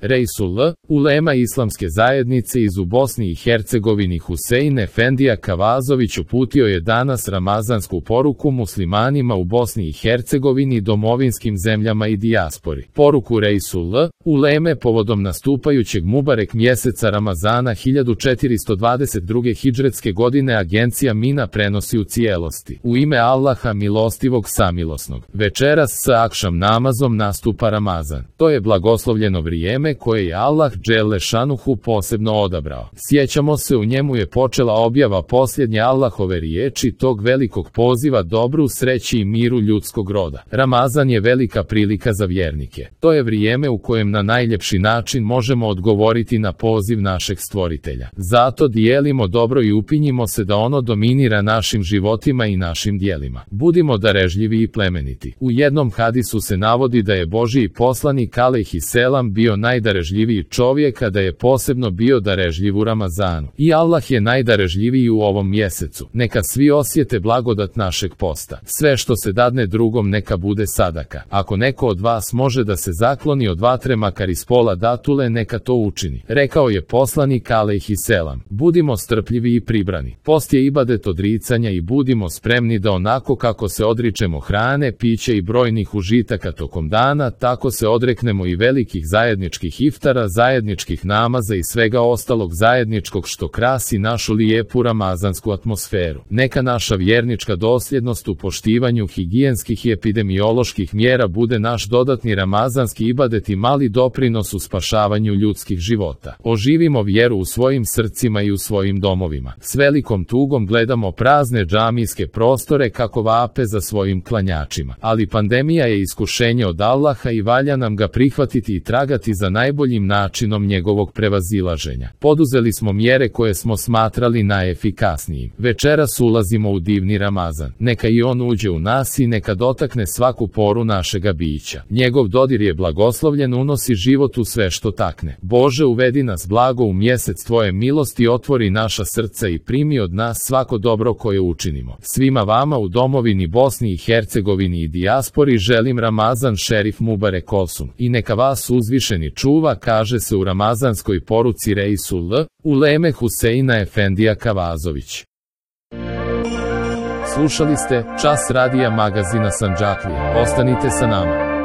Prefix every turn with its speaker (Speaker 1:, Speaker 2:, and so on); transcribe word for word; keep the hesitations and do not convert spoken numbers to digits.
Speaker 1: Reisullah, ulema islamske zajednice iz u Bosni i Hercegovini Husein Efendija Kavazović uputio je danas ramazansku poruku muslimanima u Bosni i Hercegovini, domovinskim zemljama i dijaspori. Poruku Reisullah, uleme povodom nastupajućeg Mubarek mjeseca Ramazana hiljadu četiristo dvadeset druge hidžretske godine agencija Mina prenosi u cijelosti. U ime Allaha milostivog samilosnog. Večeras sa akšam namazom nastupa Ramazan. To je blagoslovljeno vrijeme koje je Allah dželle šanuhu posebno odabrao. Sjećamo se, u njemu je počela objava posljednje Allahove riječi, tog velikog poziva dobru, sreći i miru ljudskog roda. Ramazan je velika prilika za vjernike. To je vrijeme u kojem na najljepši način možemo odgovoriti na poziv našeg stvoritelja. Zato dijelimo dobro i upinjimo se da ono dominira našim životima i našim dijelima. Budimo darežljivi i plemeniti. U jednom hadisu se navodi da je Božji poslanik alejhi selam bio najdarežljiviji čovjek, a da je posebno bio darežljiv u Ramazanu. I Allah je najdarežljiviji u ovom mjesecu. Neka svi osjete blagodat našeg posta. Sve što se dadne drugom neka bude sadaka. Ako neko od vas može da se zakloni od vatre makar iz pola datule, neka to učini. Rekao je poslanik alejhi selam. Budimo strpljivi i pribrani. Post je ibadet odricanja i budimo spremni da onako kako se odričemo hrane, pića i brojnih užitaka tokom dana, tako se odreknemo i velikih zajedničkih iftara, zajedničkih namaza i svega ostalog zajedničkog što krasi našu lijepu ramazansku atmosferu. Neka naša vjernička dosljednost u poštivanju higijenskih i epidemioloških mjera bude naš dodatni ramazanski ibadet i mali doprinos u spašavanju ljudskih života. Oživimo vjeru u svojim srcima i u svojim domovima. S velikom tugom gledamo prazne džamijske prostore kako vape za svojim klanjačima. Ali pandemija je iskušenje od Allaha i valja nam ga prihvatiti i tragati za najboljim načinom njegovog prevazilaženja. Poduzeli smo mjere koje smo smatrali najefikasnijim. Večeras ulazimo u divni Ramazan. Neka i on uđe u nas i neka dotakne svaku poru našega bića. Njegov dodir je blagoslovljen, unosi život u sve što takne. Bože, uvedi nas blago u mjesec tvoje milosti, otvori naša srca i primi od nas svako dobro koje učinimo. Svima vama u domovini Bosni i Hercegovini i dijaspori želim Ramazan šerif Mubarek olsun. I neka vas uzvišeni čuva, kaže se u ramazanskoj poruci Reisullah, uleme Huseina Efendija Kavazović. Slušali ste Čas radija magazina Sandžaklija. Ostanite sa nama.